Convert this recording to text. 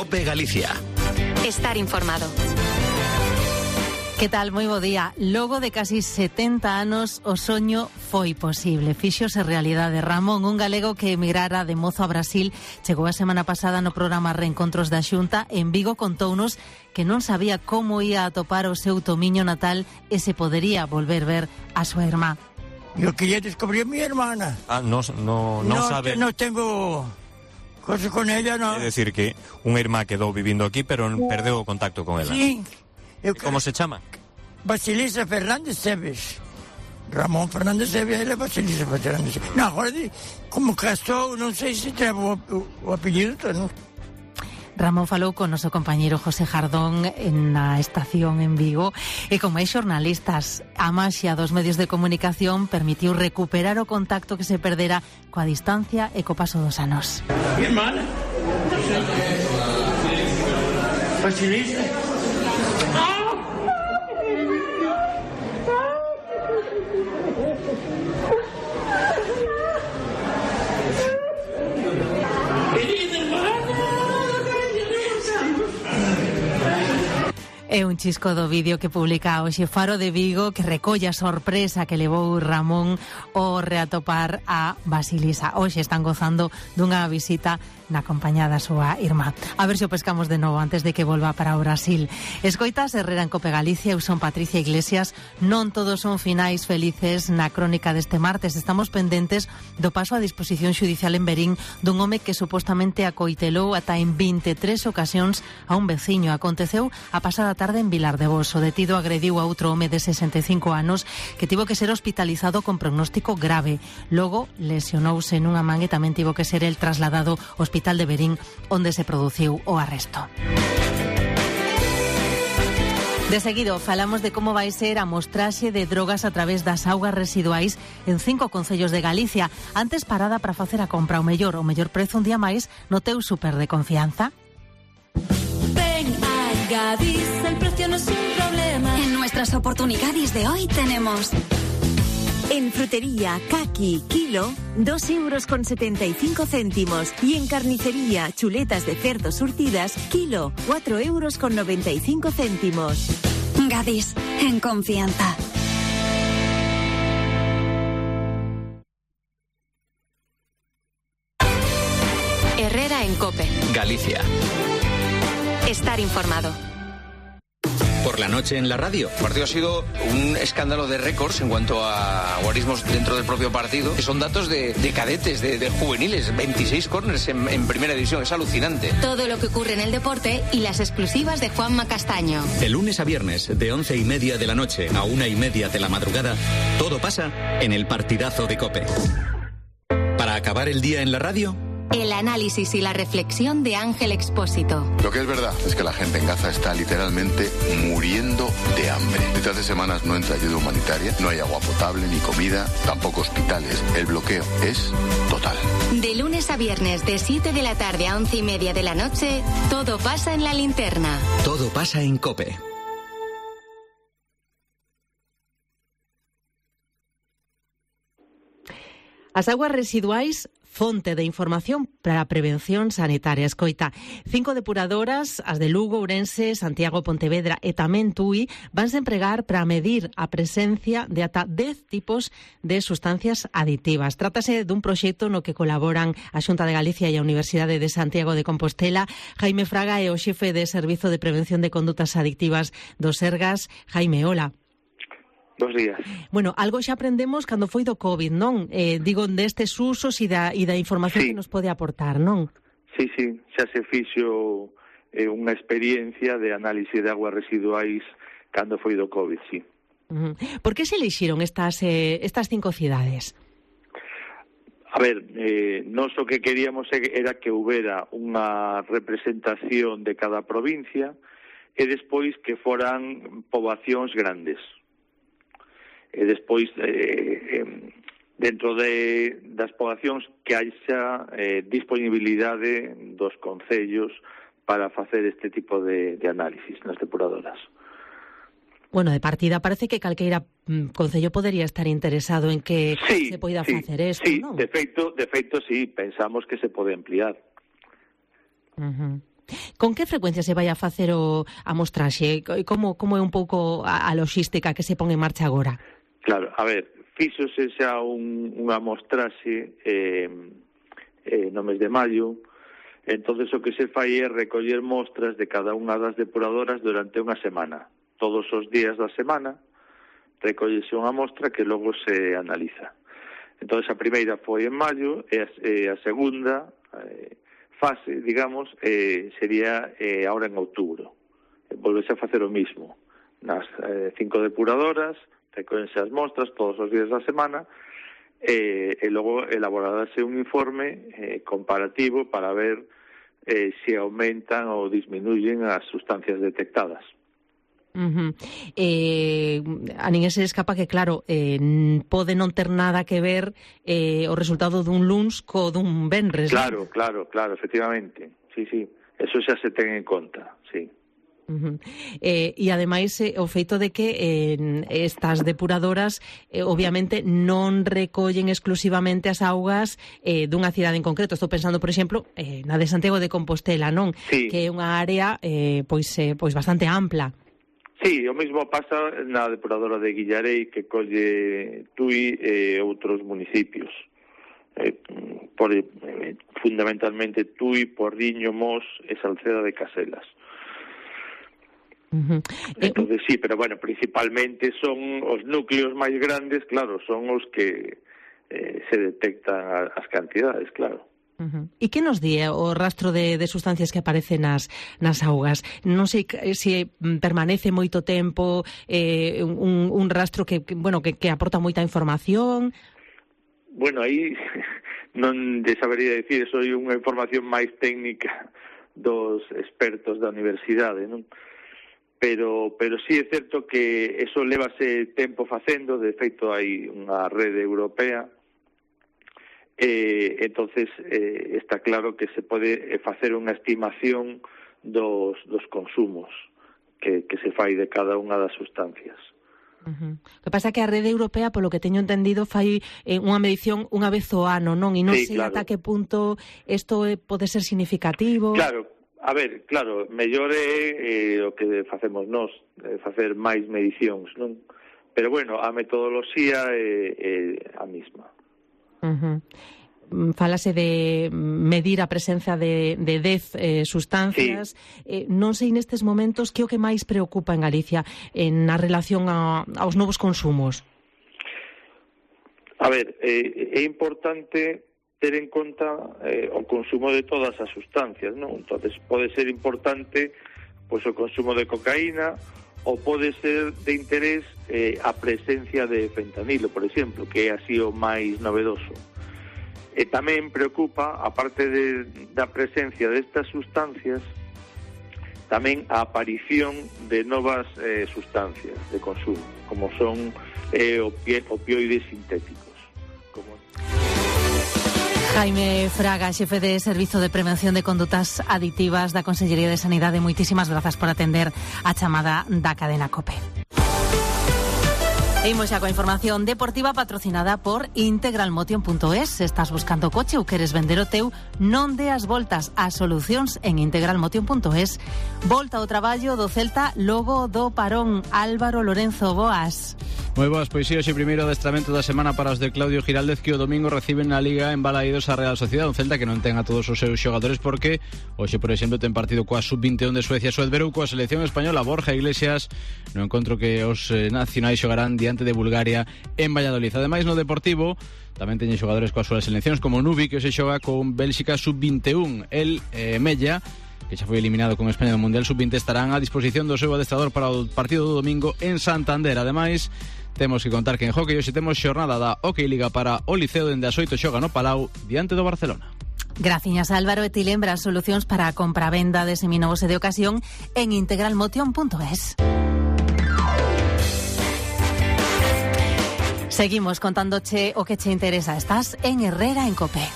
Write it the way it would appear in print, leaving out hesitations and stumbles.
COPE Galicia. Estar informado. Que tal? Moi bo día. Logo de casi 70 anos, o soño foi posible. Fíxose realidade. Ramón, un galego que emigrara de mozo a Brasil, chegou a semana pasada no programa Reencontros da Xunta. En Vigo contounos que non sabía como ia atopar o seu tomiño natal e se podería volver ver a súa irmá. Yo quería descubrir a mi hermana. No sabe. No tengo cosas con ella, no. É dicir que unha irmá quedou vivindo aquí, pero perdeu o contacto con ela. Sí. Como se chama? Basilisa Fernández Seves. Ramón Fernández Seves e Basilisa Fernández Seves. No, agora, como casou, non sei se ten o apellido, non? Ramón falou con noso compañeiro José Jardón na estación en Vigo e con máis xornalistas. A maxia dos medios de comunicación permitiu recuperar o contacto que se perdera coa distancia e co paso dos anos. Mi hermana. Basilisa. É un chisco do vídeo que publica hoxe Faro de Vigo que recolle a sorpresa que levou Ramón ao reatopar a Basilisa. Hoxe están gozando dunha visita na compañía da súa irmá. A ver se o pescamos de novo antes de que volva para o Brasil. Escoitas Herrera en Cope Galicia, eu son Patricia Iglesias. Non todos son finais felices na crónica deste martes. Estamos pendentes do paso a disposición xudicial en Verín dun home que supostamente acoitelou ata en 23 ocasións a un veciño. Aconteceu a pasada tarde en Vilar de Bos. O detido agrediu a outro home de 65 anos que tivo que ser hospitalizado con prognóstico grave. Logo lesionouse nunha man e tamén tivo que ser el trasladado ao Hospital de Verín, onde se produciu o arresto. De seguido, falamos de como vai ser a mostraxe de drogas a través das augas residuais en 5 concellos de Galicia. Antes, parada para facer a compra, o mellor prezo un día máis no teu súper de confianza. Ven a Gadis, el precio no es un problema. En nuestras oportunidades de hoy tenemos... En frutería, caqui, kilo, 2,75 euros. Y en carnicería, chuletas de cerdo surtidas, kilo, 4,95 euros. Gadis, en confianza. Herrera en Cope Galicia. Estar informado. Por la noche en la radio. El partido ha sido un escándalo de récords en cuanto a guarismos dentro del propio partido, que son datos de cadetes, de juveniles, 26 córners en primera división, es alucinante. Todo lo que ocurre en el deporte y las exclusivas de Juanma Castaño. De lunes a viernes, de 11:30 de la noche a 1:30 de la madrugada, todo pasa en el partidazo de COPE. Para acabar el día en la radio, el análisis y la reflexión de Ángel Expósito. Lo que es verdad es que la gente en Gaza está literalmente muriendo de hambre. Desde hace semanas no entra ayuda humanitaria, no hay agua potable ni comida, tampoco hospitales. El bloqueo es total. De lunes a viernes, de 7 de la tarde a 11:30 de la noche, todo pasa en la linterna. Todo pasa en COPE. As augas residuais, fonte de información para a prevención sanitaria. Escoita, 5 depuradoras, as de Lugo, Ourense, Santiago, Pontevedra e tamén Tui, vanse empregar para medir a presencia de ata 10 tipos de sustancias aditivas. Trátase dun proxecto no que colaboran a Xunta de Galicia e a Universidade de Santiago de Compostela. Jaime Fraga é o xefe de Servizo de Prevención de Condutas Adictivas do Sergas. Jaime, hola. Dos días. Bueno, algo xa aprendemos cando foi do COVID, non? Digo, destes usos e da información que nos pode aportar, non? Sí, xa se fixo unha experiencia de análise de aguas residuais cando foi do COVID, sí. Por que se elixiron estas 5 cidades? A ver, nós o que queríamos era que houbera unha representación de cada provincia e despois que foran poboacións grandes. E despois, dentro das poboacións, que haxa disponibilidade dos concellos para facer este tipo de análisis nas depuradoras. Bueno, de partida parece que calqueira concello podería estar interesado en que se poida facer isto, sí, non? De feito, sí, pensamos que se pode ampliar. Con que frecuencia se vai a facer a mostraxe? Como é un pouco a logística que se pon en marcha agora? Claro, a ver, fíxose xa unha mostraxe no mes de maio. Entonces o que se fai é recoller mostras de cada unha das depuradoras durante unha semana. Todos os días da semana recollese unha mostra que logo se analiza. Entón, a primeira foi en maio e a segunda fase, digamos, sería agora en outubro. Volvese a facer o mismo. Nas 5 depuradoras, recóllense as mostras todos os días da semana e logo elaborarase un informe comparativo para ver se aumentan ou disminuyen as sustancias detectadas. A ninguén se escapa que, claro, pode non ter nada que ver o resultado dun luns co dun venres. Claro, efectivamente. Sí, eso xa se ten en conta, sí. E ademais o feito de que estas depuradoras obviamente non recollen exclusivamente as augas dunha cidade en concreto. Estou pensando, por exemplo, na de Santiago de Compostela, non? Sí. Que é unha área pois bastante ampla. Sí, o mesmo pasa na depuradora de Guillarei, que colle Tui e outros municipios. Fundamentalmente Tui, Porriño, Mos e Salceda de Caselas. Entonces sí, pero bueno, principalmente son os núcleos máis grandes, claro, son os que se detectan as cantidades, claro. E que nos di o rastro de sustancias que aparecen nas augas? Non sei se permanece moito tempo, un rastro que aporta moita información. Bueno, aí non te sabería dicir, eso é unha información máis técnica dos expertos da universidade, non? Pero sí é certo que eso levase tempo facendo, de feito hai unha rede europea. Entonces está claro que se pode facer unha estimación dos consumos que se fai de cada unha das sustancias. O que pasa é que a rede europea, polo que teño entendido, fai unha medición unha vez ao ano, non? E non sei ata que punto isto pode ser significativo. Claro, a ver, claro, mellor é o que facemos nós, facer máis medicións, non? Pero bueno, a metodoloxía é a mesma. Falase de medir a presenza de 10 sustancias. Sí. Non sei nestes momentos que o que máis preocupa en Galicia na relación aos novos consumos. A ver, é importante ter en conta o consumo de todas as sustancias, non? Entonces pode ser importante pois o consumo de cocaína, ou pode ser de interés a presencia de fentanilo, por exemplo, que é así o máis novedoso. E tamén preocupa, aparte da presencia destas sustancias, tamén a aparición de novas sustancias de consumo, como son opioides sintéticos. Jaime Fraga, xefe de Servizo de Prevención de Condutas Aditivas da Consellería de Sanidade, moitísimas grazas por atender a chamada da cadena COPE. Imos xa coa información deportiva patrocinada por integralmotion.es. Se estás buscando coche ou queres vender o teu, non deas voltas ás solucións en integralmotion.es. Volta ao traballo do Celta logo do parón. Álvaro Lorenzo, boas. Moi boas, pois sí, hoxe primeiro adestramento da semana para os de Claudio Giraldez, que o domingo reciben na Liga en Balaídos a Real Sociedade, un Celta que non ten a todos os seus xogadores porque hoxe, por exemplo, ten partido coa Sub-21 de Suecia, Suedberou coa selección española. Borja Iglesias no encontro que os nacionais xogarán diante de Bulgaria en Valladolid. Ademais, no Deportivo tamén teñen xogadores coas súas seleccións, como Nubi, que hoxe xoga con Bélxica Sub-21. El Mella, que xa foi eliminado con España do Mundial Sub-20, estarán a disposición do seu adestrador para o partido do domingo en Santander. Ademais, temos que contar que en hockey hoxe temos xornada da Hockey Liga para o Liceo, dende as 8 xoga no Palau diante do Barcelona. Graciñas, Álvaro. E ti lembras solucións para a compra-venda de seminovos e de ocasión en integralmotion.es. Seguimos contándoche o que che interesa. Estás en Herrera en COPE.